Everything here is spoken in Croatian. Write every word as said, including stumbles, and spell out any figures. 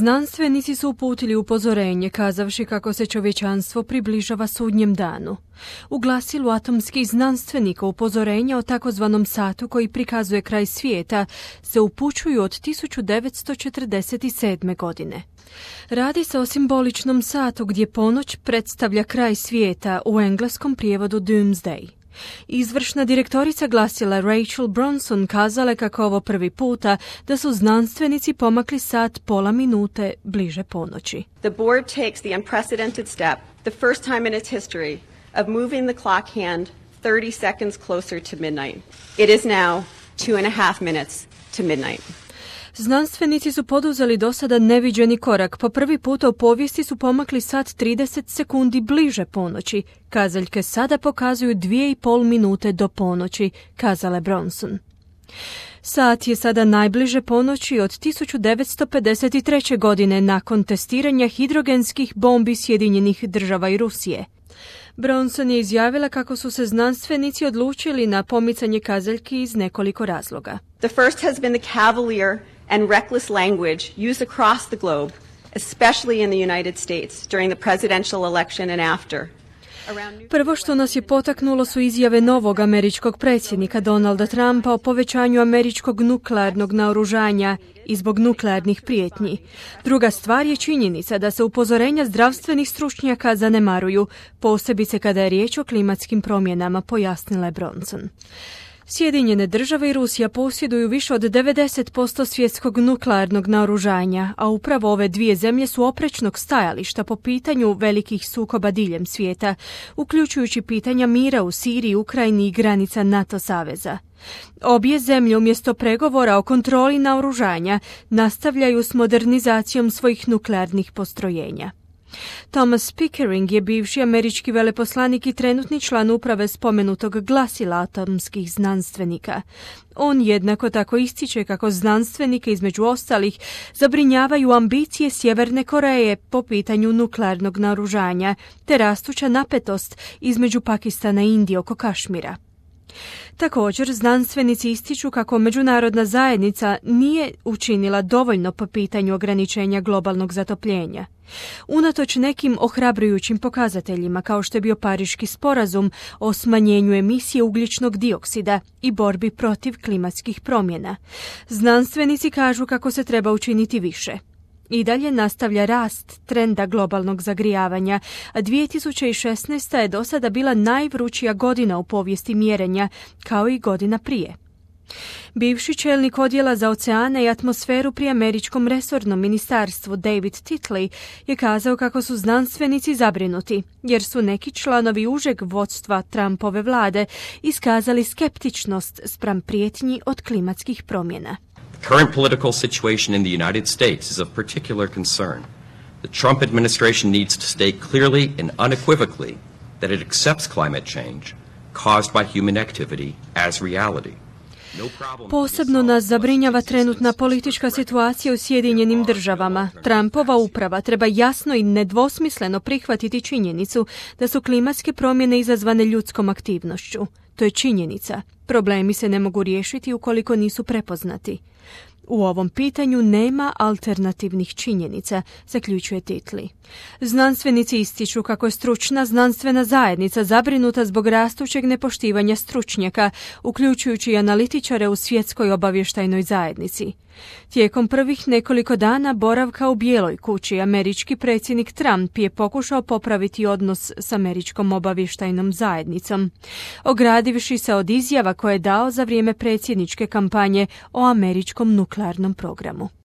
Znanstvenici su uputili upozorenje kazavši kako se čovječanstvo približava sudnjem danu. U glasilu atomskih znanstvenika upozorenja o takozvanom satu koji prikazuje kraj svijeta se upućuju od tisuću devetsto četrdeset sedme. godine. Radi se o simboličnom satu gdje ponoć predstavlja kraj svijeta, u engleskom prijevodu Doomsday. Izvršna direktorica glasila Rachel Bronson kazala kako ovo prvi puta da su znanstvenici pomakli sat pola minute bliže ponoći. The board takes the unprecedented step, the first time in its history, of moving the clock hand thirty seconds closer to midnight. It is now two and a half minutes to midnight. Znanstvenici su poduzeli do sada neviđeni korak. Po prvi puta u povijesti su pomakli sat trideset sekundi bliže ponoći. Kazaljke sada pokazuju dvije i pol minute do ponoći, kazala je Bronson. Sat je sada najbliže ponoći od tisuću devetsto pedeset treće. godine nakon testiranja hidrogenskih bombi Sjedinjenih država i Rusije. Bronson je izjavila kako su se znanstvenici odlučili na pomicanje kazaljki iz nekoliko razloga. The first has been the cavalier and reckless language used across the globe, especially in the United States, during the presidential election and after. Prvo što nas je potaknulo su izjave novog američkog predsjednika Donalda Trumpa o povećanju američkog nuklearnog naoružanja i zbog nuklearnih prijetnji. Druga stvar je činjenica da se upozorenja zdravstvenih stručnjaka zanemaruju, posebice kada je riječ o klimatskim promjenama, pojasnila je Bronson. Sjedinjene države i Rusija posjeduju više od devedeset posto svjetskog nuklearnog naoružanja, a upravo ove dvije zemlje su oprečnog stajališta po pitanju velikih sukoba diljem svijeta, uključujući pitanja mira u Siriji, Ukrajini i granica NATO saveza. Obje zemlje umjesto pregovora o kontroli naoružanja nastavljaju s modernizacijom svojih nuklearnih postrojenja. Thomas Pickering je bivši američki veleposlanik i trenutni član uprave spomenutog glasila atomskih znanstvenika. On jednako tako ističe kako znanstvenike između ostalih zabrinjavaju ambicije Sjeverne Koreje po pitanju nuklearnog naoružanja te rastuća napetost između Pakistana i Indije oko Kašmira. Također, znanstvenici ističu kako međunarodna zajednica nije učinila dovoljno po pitanju ograničenja globalnog zatopljenja. Unatoč nekim ohrabrujućim pokazateljima kao što je bio Pariški sporazum o smanjenju emisije ugljičnog dioksida i borbi protiv klimatskih promjena, znanstvenici kažu kako se treba učiniti više. I dalje nastavlja rast trenda globalnog zagrijavanja, a dvije tisuće šesnaesta. je do sada bila najvrućija godina u povijesti mjerenja, kao i godina prije. Bivši čelnik odjela za oceane i atmosferu pri američkom resornom ministarstvu David Titley je kazao kako su znanstvenici zabrinuti, jer su neki članovi užeg vodstva Trumpove vlade iskazali skeptičnost spram prijetnji od klimatskih promjena. The current political situation in the United States is of particular concern. The Trump administration needs to state clearly and unequivocally that it accepts climate change caused by human activity as reality. Posebno nas zabrinjava trenutna politička situacija u Sjedinjenim državama. Trumpova uprava treba jasno i nedvosmisleno prihvatiti činjenicu da su klimatske promjene izazvane ljudskom aktivnošću. To je činjenica. Problemi se ne mogu riješiti ukoliko nisu prepoznati. U ovom pitanju nema alternativnih činjenica, zaključuje Titley. Znanstvenici ističu kako je stručna znanstvena zajednica zabrinuta zbog rastućeg nepoštivanja stručnjaka, uključujući i analitičare u svjetskoj obavještajnoj zajednici. Tijekom prvih nekoliko dana boravka u Bijeloj kući, američki predsjednik Trump je pokušao popraviti odnos s američkom obavještajnom zajednicom, ogradivši se od izjava koje je dao za vrijeme predsjedničke kampanje o američkom nuklearnom programu.